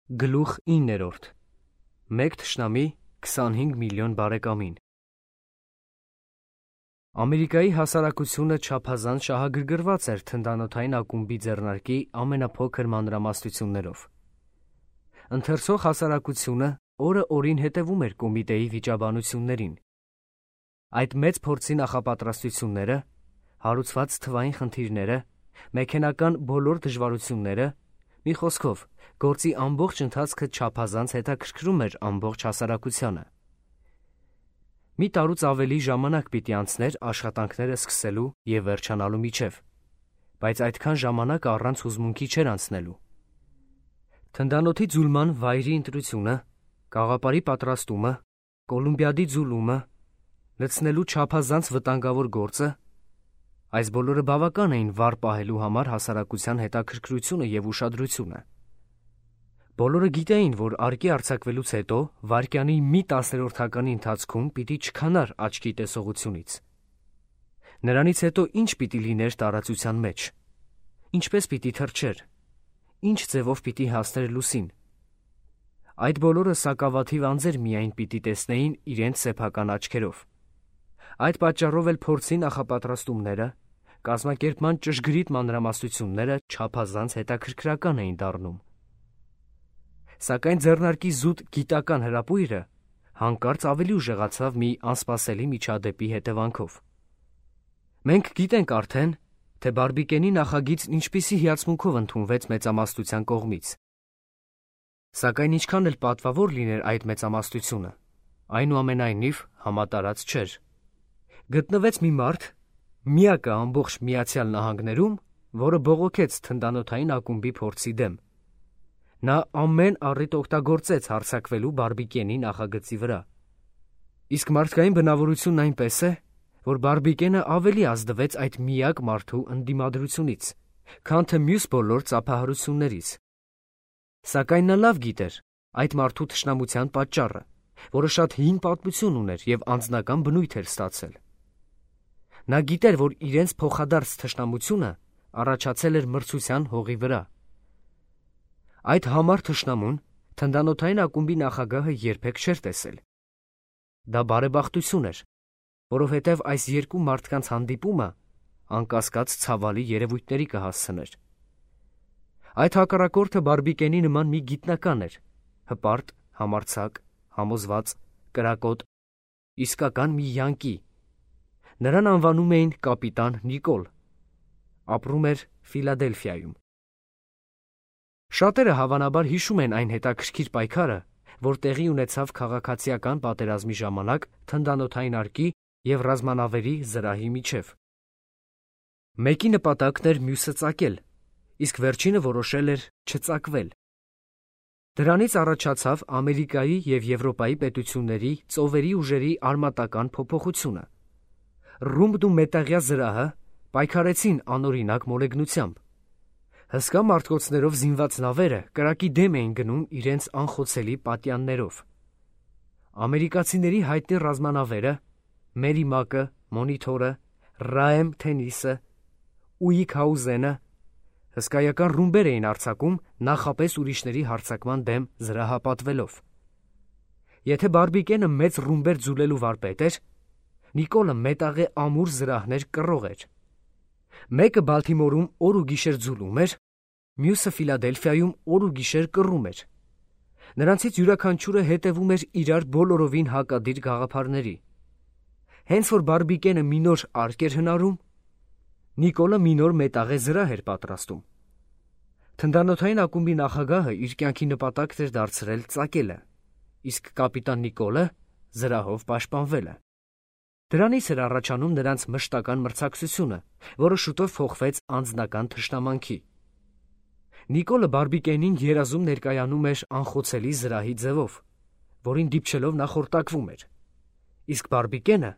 Գլուխ 9. Մեկ թշնամի 25 միլիոն բարեկամին։ Ամերիկայի հասարակությունը չափազանց շահագրգռված էր թնդանոթային ակումբի ձեռնարկի ամենափոքր մանրամասնություններով։ Ընթերցող հասարակությունը օրը օրին հետևում էր կոմիտեի վիճաբանություններին։ Այդ մեծ փորձի նախապատրաստությունները, հարուցված թվային խնդիրները, մեքենական բոլոր դժվարությունները, մի խոսքով, գործի ամբողջ ընթացքը չափազանց հետաքրքրում էր ամբողջ հասարակությանը։ Մի տարուց ավելի ժամանակ պիտի անցներ աշխատանքները սկսելու և վերջանալու միջև, բայց այդքան ժամանակ առանց հուզմունքի չէր անցնելու։ Թնդանոթի ձուլման վայրի ընտրությունը, կաղապարի պատրաստումը, Կոլումբիադի ձուլումը, լցնելու չափազանց վտանգավոր գործը, այս բոլորը բավական էին վառ պահելու համար հասարակության հետաքրքրությունը և ուշադրությունը։ Բոլորը գիտեին, որ արկի արձակվելուց հետո վայրկյանի մի տասներորդականի ընթացքում պիտի չքանար աչքի տեսողությունից։ Նրանից հետո ինչ պիտի լիներ տարածության մեջ, ինչպես պիտի թռչեր, ինչ ձևով պիտի հասներ լուսին։ Այդ բոլորը սակավաթիվ անձեր միայն պիտի տեսնեին իրենց սեփական աչքերով։ Այդ պատճառով էլ փորձի նախապատրաստումները, կազմակերպման ճշգրիտ մանրամասնությունները չափազանց հետաքրքրական էին դառնում։ Սակայն ձեռնարկի զուտ գիտական հրապույրը հանկարծ ավելի ուժեղացավ մի անսպասելի միջադեպի հետևանքով։ Մենք գիտենք արդեն, թե Բարբիկենի նախագիծն ինչպիսի հիացմունքով ընդունվեց մեծամասնության կողմից։ Սակայն ինչքան էլ պատվավոր լիներ այդ մեծամասնությունը, այնուամենայնիվ համատարած չէր։ Գտնվեց մի մարդ, միակը ամբողջ Միացյալ Նահանգներում, որը բողոքեց թնդանոթային ակումբի փորձի դեմ։ Նա ամեն առիթ օգտագործեց հարձակվելու Բարբիկենի նախագծի վրա։ Իսկ մարդկային բնավորությունն այնպես է, որ Բարբիկենը ավելի ազդվեց այդ միակ մարդու ընդդիմադրությունից, քան թե մյուս բոլոր ծափահարություններից։ Սակայն նա լավ գիտեր այդ մարդու թշնամության պատճառը, որը շատ հին պատմություն ուներ և անձնական բնույթ էր ստացել։ Նա գիտեր, որ իրենց փոխադարձ թշնամությունը առաջացել էր մրցության հողի վրա։ Այդ համառ թշնամուն թնդանոթային ակումբի նախագահը երբեք չէր տեսել։ Դա բարեբախտություն էր, որովհետև այս երկու մարդկանց հանդիպումը անկասկած ցավալի երևույթների կհասցներ։ Այդ հակառակորդը Բարբիկենի նման մի գիտնական էր, հպարտ, համարձակ, համոզված, կրակոտ, իսկական մի յանկի։ Նրան անվանում էին կապիտան Նիկոլ։ Ապրում էր Ֆիլադելֆիայում։ Շատերը հավանաբար հիշում են այն հետաքրքիր պայքարը, որ տեղի ունեցավ քաղաքացիական պատերազմի ժամանակ թնդանոթային արկի և ռազմանավերի զրահի միջև։ Մեկի նպատակն էր մյուսը ծակել, իսկ վերջինը որոշել էր չծակվել։ Դրանից առաջացավ Ամերիկայի և Եվրոպայի պետությունների ծովերի ուժերի արմատական փոփոխությունը։ Ռումբն ու մետաղյա զրահը պայքարեցին անօրինակ մոլեգնությամբ։ Հսկա մարտկոցներով զինված նավերը կրակի դեմ էին գնում իրենց անխոցելի պատյաններով։ Ամերիկացիների հայտնի ռազմանավերը Մերիմակը, Մոնիթորը, Ռաեմ Թենիսը, Ուիկհաուզենը հսկայական ռումբեր էին արձակում նախապես ուրիշների հարձակման դեմ զրահապատվելով։ Եթե Բարբիկենը մեծ ռումբեր ձուլելու վարպետ էր, Նիկոլը մետաղե ամուր զրահներ կռող էր։ Մեկը Բալթիմորում օր ու գիշեր ձուլում էր, մյուսը Ֆիլադելֆիայում օր ու գիշեր կռում էր։ Նրանցից յուրաքանչյուրը հետևում էր իրար բոլորովին հակադիր գաղափարների։ Հենց որ Բարբիկենը մի նոր արկ էր հնարում, Նիկոլը մի նոր մետաղե զրահ էր պատրաստում։ Թնդանոթային ակումբի նախագահը իր կյանքի նպատակն էր դարձրել ծակելը, իսկ կապիտան Նիկոլը զրահով պաշտպանվելը։ Դրանից էր առաջանում նրանց մշտական մրցակցությունը, որը շուտով փոխվեց անձնական թշնամանքի։ Նիկոլը Բարբիկենին երազում ներկայանում էր անխոցելի զրահի ձևով, որին դիպչելով նա խորտակվում էր։ Իսկ Բարբիկենը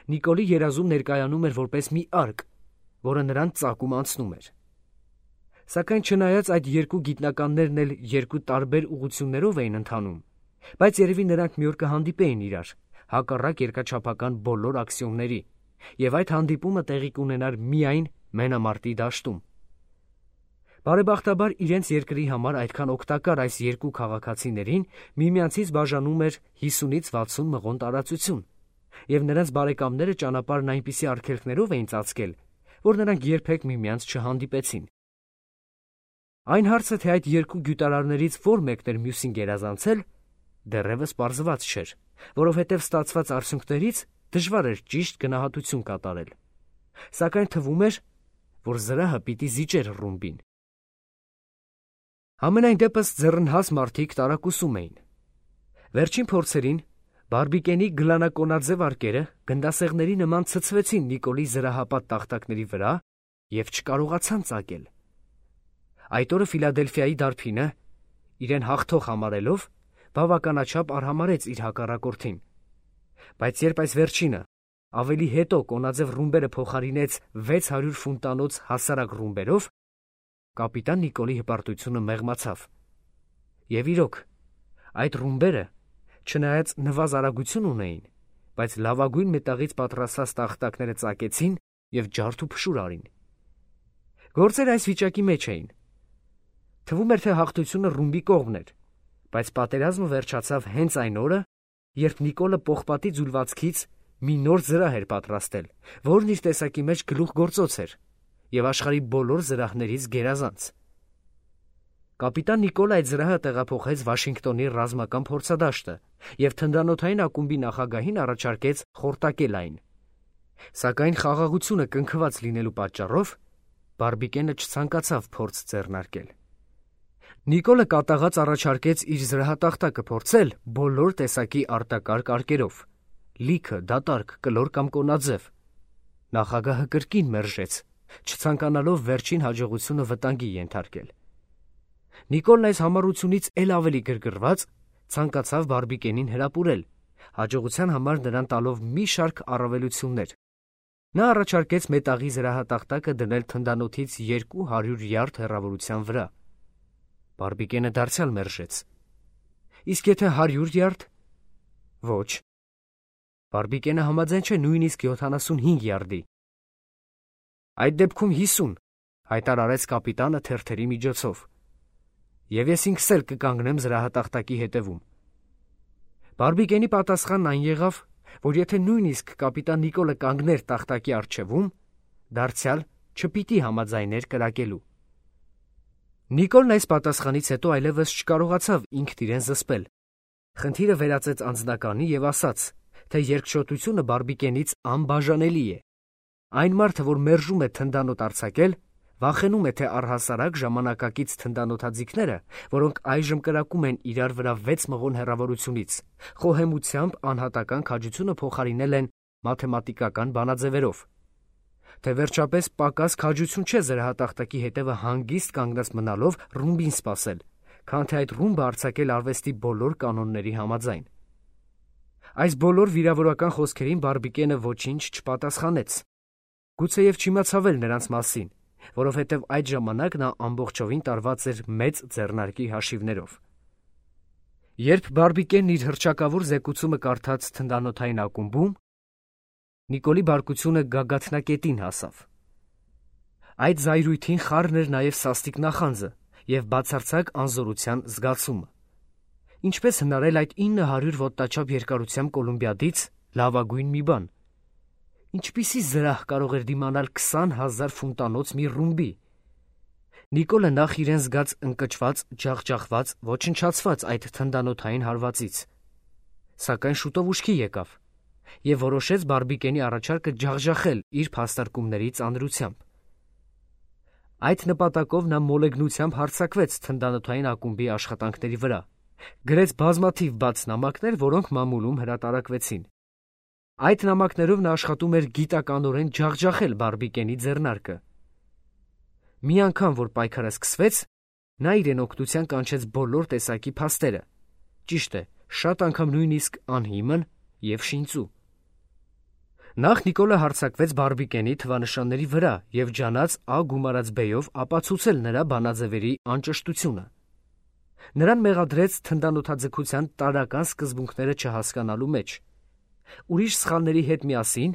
Նիկոլի երազում ներկայանում էր որպես մի արկ, որը նրան ծակում անցնում էր։ Սակայն չնայած այդ երկու գիտնականներն էլ երկու տարբեր ուղղություններով էին ընթանում, բայց երևի նրանք մի օր կհանդիպեին իրար, հակառակ երկրաչափական բոլոր Բարեբախտաբար իրենց երկրի համար այդքան օգտակար այս երկու քաղաքացիներին միմյանցից բաժանում էր 50-ից 60 մղոն տարածություն, եւ նրանց բարեկամները ճանապարհն այնպիսի արգելքներով էին ծածկել, որ նրանք երբեք միմյանց չհանդիպեցին։ Այն հարցը, թե այդ երկու գյուտարարներից որ մեկն էր մյուսին գերազանցել, դեռևս պարզված չէր, որովհետև ստացված արդյունքներից դժվար էր ճիշտ գնահատություն կատարել, սակայն թվում էր, որ զրահը պիտի զիջեր ռումբին։ Համենայն դեպս ձեռնհաս մարդիկ տարակուսում էին։ Վերջին փորձերին Բարբիկենի գլանակոնաձև արկերը գնդասեղների նման ցցվեցին Նիկոլի զրահապատ տախտակների վրա և չկարողացան ծակել։ Այդ օրը Ֆիլադելֆիայի դարբինը, իրեն հաղթող համարելով, բավականաչափ արհամարհեց իր հակառակորդին։ Բայց երբ այս վերջինը ավելի հետո կոնաձև ռումբերը փոխարինեց 600 ֆունտանոց հասարակ ռումբերով, կապիտան Նիկոլի հպարտությունը մեղմացավ։ Եվ իրոք, այդ ռումբերը, չնայած նվազ արագություն ունեին, բայց լավագույն մետաղից պատրաստած տախտակները ծակեցին և ջարդ ու փշուր արին։ Գործերը այս վիճակի մեջ էին։ Թվում էր, թե հաղթությունը ռումբի կողմն էր, բայց պատերազմը վերջացավ հենց այն օրը, երբ Նիկոլը պողպատի ձուլվածքից մի նոր զրահ էր պատրաստել, որն իր տեսակի մեջ գլուխգործոց էր և աշխարհի բոլոր զրահներից գերազանց։ Կապիտան Նիկոլը այդ զրահը տեղափոխեց Վաշինգտոնի ռազմական փորձադաշտը և թնդանոթային ակումբի նախագահին առաջարկեց խորտակել այն։ Սակայն խաղաղությունը կնքված լինելու պատճառով Բարբիկենը չցանկացավ փորձ ձեռնարկել։ Նիկոլը կատաղած առաջարկեց իր զրահատախտակը փորձել բոլոր տեսակի արտակարգ արկերով՝ լիքը, դատարկ, կլոր կամ կոնաձև։ Նախագահը կրկին մերժեց, չցանկանալով վերջին հաջողությունը վտանգի ենթարկել։ Նիկոլն այս համառությունից էլ ավելի գրգռված ցանկացավ Բարբիկենին հրապուրել, հաջողության համար նրան տալով մի շարք առավելություններ։ Նա առաջարկեց մետաղի զրահատախտակը դնել թնդանոթից 200 յարդ հեռավորության վրա։ Բարբիկենը դարձյալ մերժեց։ Իսկ եթե 100 յարդ։ Ոչ։ Բարբիկենը համաձայն չէ նույնիսկ 75 յարդի։ Այդ դեպքում 50, հայտարարեց կապիտանը թերթերի միջոցով։ Եվ ես ինքս էլ կկանգնեմ զրահատախտակի հետևում։ Բարբիկենի պատասխանն այն եղավ, որ եթե նույնիսկ կապիտան Նիկոլը կանգներ տախտակի առջևում, դարձյալ չպիտի համաձայներ կրակելու։ Նիկոլն այս պատասխանից հետո այլևս չկարողացավ ինքն իրեն զսպել։ Խնդիրը վերածեց անձնականի և ասաց, թե երկչոտությունը Բարբիկենից անբաժանելի է։ Այն մարդը, որ մերժում է թնդանոթ արձակել, վախենում է, թե առհասարակ ժամանակակից թնդանոթաձիգները, որոնք այժմ կրակում են իրար վրա 6 մղոն հեռավորությունից, խոհեմությամբ անհատական քաջությունը փոխարինել են մաթեմատիկական բանաձևերով։ Թե վերջապես պակաս քաջություն չէ զրահատախտակի հետևը հանգիստ կանգնած մնալով ռումբին սպասել, քան թե այդ ռումբը արձակել արվեստի բոլոր կանոնների համաձայն։ Այս բոլոր վիրավորական խոսքերին Բարբիկենը ոչինչ չպատասխանեց։ Գուցեև չիմացավ էլ նրանց մասին, որովհետև այդ ժամանակ նա ամբողջովին տարված էր մեծ ձեռնարկի հաշիվներով։ Երբ Բարբիկենն իր հռչակավոր զեկուցումը կարդաց թնդանոթային ակումբում, Նիկոլի բարկությունը գագաթնակետին հասավ։ Այդ զայրույթին խառն էր նաև սաստիկ նախանձը և բացարձակ անզորության զգացումը։ Ինչպես հնարել այդ 900 ոտնաչափ երկարությամբ կոլումբիադից լավագույն մի բան։ Ինչպիսի զրահ կարող էր դիմանալ 20,000 ֆունտանոց մի ռումբի։ Նիկոլը նախ իրեն զգաց ընկճված, ջախջախված, ոչնչացված այդ թնդանոթային հարվածից։ Սակայն շուտով ուշքի եկավ և որոշեց Բարբիկենի առաջարկը ջախջախել իր փաստարկումների ծանրությամբ։ Այդ նպատակով նա մոլեգնությամբ հարձակվեց թնդանոթային ակումբի աշխատանքների վրա, գրեց բազմաթիվ բաց նամակներ, որոնք մամուլում հրատարակվեցին։ Այդ նամակներով նա աշխատում էր գիտականորեն ջախջախել Բարբիկենի ձեռնարկը։ Մի անգամ, որ պայքարը սկսվեց, նա իրեն օգնության կանչեց բոլոր տեսակի փաստերը, ճիշտ է, շատ անգամ նույնիսկ անհիմն և շինծու։ Նախ Նիկոլը հարձակվեց Բարբիկենի թվանշանների վրա և ջանաց գումարած բեյով ապացուցել նրա բանաձևերի անճշտությունը։ Նրան մեղադրեց թնդանոթաձգության տարրական սկզբունքները չհասկանալու մեջ։ Ուրիշ սխալների հետ միասին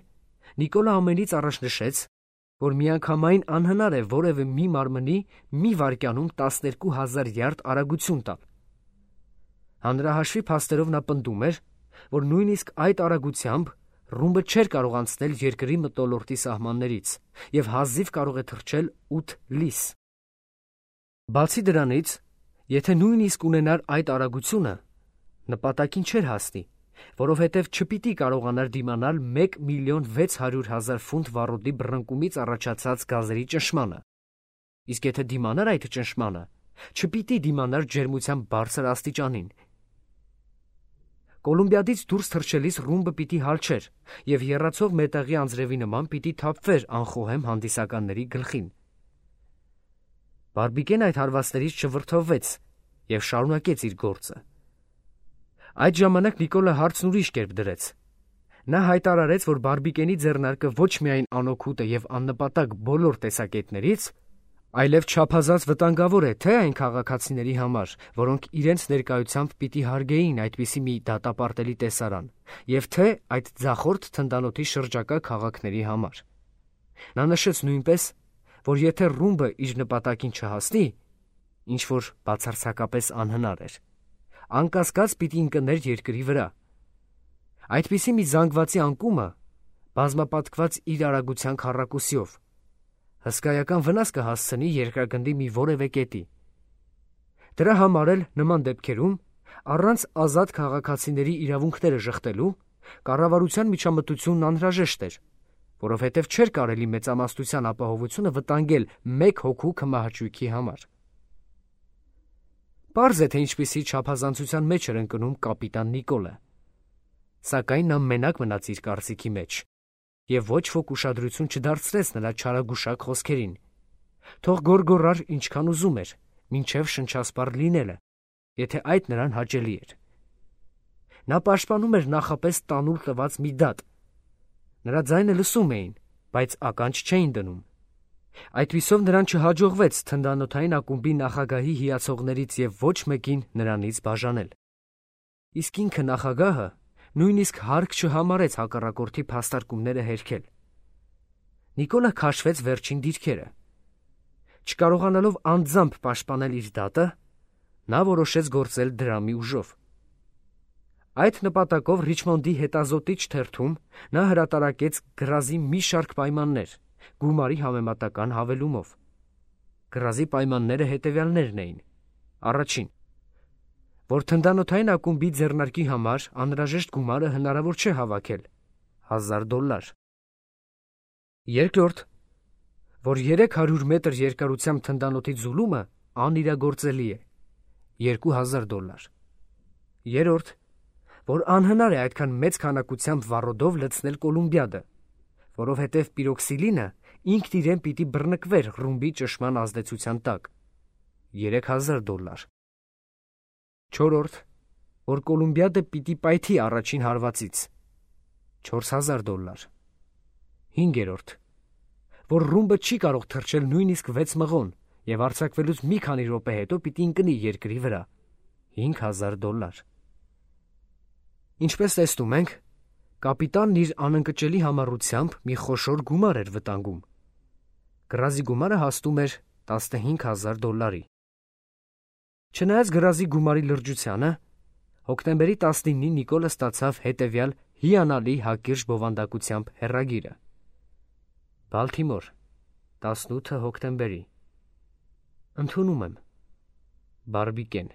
Նիկոլը ամենից առաջ նշեց, որ միանգամայն անհնար է որևէ մի մարմնի մի վայրկյանում 12,000 յարդ արագություն տալ։ Հանրահաշվի փաստերով նա պնդում էր, որ նույնիսկ այդ արագությամբ ռումբը չէր կարող անցնել երկրի մթնոլորտի սահմաններից և հազիվ կարող է թռչել 8 լիս։ Բացի դրանից, եթե նույնիսկ ունենար այդ արագությունը, նպատակին չէր հասնի, որովհետև չպիտի կարողանար դիմանալ 1,600,000 ֆունտ վառոդի բռնկումից առաջացած գազերի ճնշմանը, իսկ եթե դիմանար այդ ճնշմանը, չպիտի դիմանար ջերմության բարձր աստիճանին։ Կոլումբիադից դուրս թռչելիս ռումբը պիտի հալչեր և եռացող մետաղի անձրևի նման պիտի թափվեր անխոհեմ հանդիսականների գլխին։ Բարբիկեն այդ հարվածներից չվրդովվեց և շարունակեց իր գործը։ Այդ ժամանակ Նիկոլը հարցն ուրիշ կերպ դրեց։ Նա հայտարարեց, որ Բարբիկենի ձեռնարկը ոչ միայն անօգուտ է և աննպատակ բոլոր տեսակետներից, այլև չափազանց վտանգավոր է թե այն քաղաքացիների համար, որոնք իրենց ներկայությամբ պիտի հարգեին այդպիսի մի դատապարտելի տեսարան, և թե այդ ձախորդ թնդանոթի շրջակա քաղաքների համար։ Նա նշեց նույնպես, որ եթե ռումբը իր նպատակին չհասնի, ինչ որ բացարձակապես անհնար էր, անկասկած պիտի ընկներ երկրի վրա։ Այդպիսի մի զանգվածի անկումը, բազմապատկված իր արագության քառակուսիով, հսկայական վնաս կհասցնի երկրագնդի մի որևէ կետի։ Դրա համար էլ նման դեպքերում, առանց ազատ քաղաքացիների իրավունքները ժխտելու, կառավարության միջամտությունն անհրաժեշտ էր, որովհետև չէր կարելի մեծամասնության ապահովությունը վտանգել մեկ հոգու քմահաճույքի համար։ Պարզ է, թե ինչպիսի չափազանցության մեջ էր ընկնում կապիտան Նիկոլը, սակայն նա մենակ մնաց իր կարծիքի մեջ և ոչ ոք ուշադրություն չդարձրեց նրա չարագուշակ խոսքերին։ Թող գոռգոռար ինչքան ուզում էր, մինչև շնչասպառ լինելը, եթե այդ նրան հաճելի էր։ Նա պաշտպանում էր նախապես տանուլ տված մի դատ։ Նրա ձայնը լսում էին, բայց ականջ չէին դնում։ Այդպիսով նրան չհաջողվեց թնդանոթային ակումբի նախագահի հիացողներից և ոչ մեկին նրանից բաժանել։ Իսկ ինքը նախագահը նույնիսկ հարկ չհամարեց հակառակորդի փաստարկումները հերքել։ Նիկոլը քաշվեց վերջին դիրքերը։ Չկարողանալով անձամբ պաշտպանել իր դատը, նա որոշեց գործել դրամի ուժով։ Այդ նպատակով Ռիչմոնդի հետազոտիչ թերթում նա հրատարակեց գրազի մի շարք պայմաններ, գումարի համեմատական հավելումով։ Գրազի պայմանները հետևյալներն էին. Առաջին, որ թնդանոթային ակումբի ձեռնարկի համար անհրաժեշտ գումարը հնարավոր չէ հավաքել $1,000։ Երկրորդ, որ 300 մետր երկարությամբ թնդանոթի ձուլումը անիրագործելի է $2,000։ Երրորդ, որ անհնար է այդքան մեծ քանակությամբ վառոդով լցնել Կոլումբիադը, որովհետև պիրոքսիլինը ինքն իրեն պիտի բռնկվեր ռումբի ճնշման ազդեցության տակ $3,000։ Չորրորդ, որ Կոլումբիադը պիտի պայթի առաջին հարվածից $4,000։ Հինգերորդ, որ ռումբը չի կարող թռչել նույնիսկ 6 մղոն և արձակվելուց մի քանի րոպե հետո պիտի ընկնի երկրի վրա $5,000։ Ինչպես տեսնում ենք, կապիտանն իր անընկճելի համառությամբ մի խոշոր գումար էր վտանգում։ Գրազի գումարը հասնում էր $15,000։ Չնայած գրազի գումարի լրջությանը, հոկտեմբերի 19-ին Նիկոլը ստացավ հետևյալ հիանալի հակիրճ բովանդակությամբ հեռագիրը. Բալթիմոր, 18 հոկտեմբերի։ Ընդունում եմ, Բարբիկեն։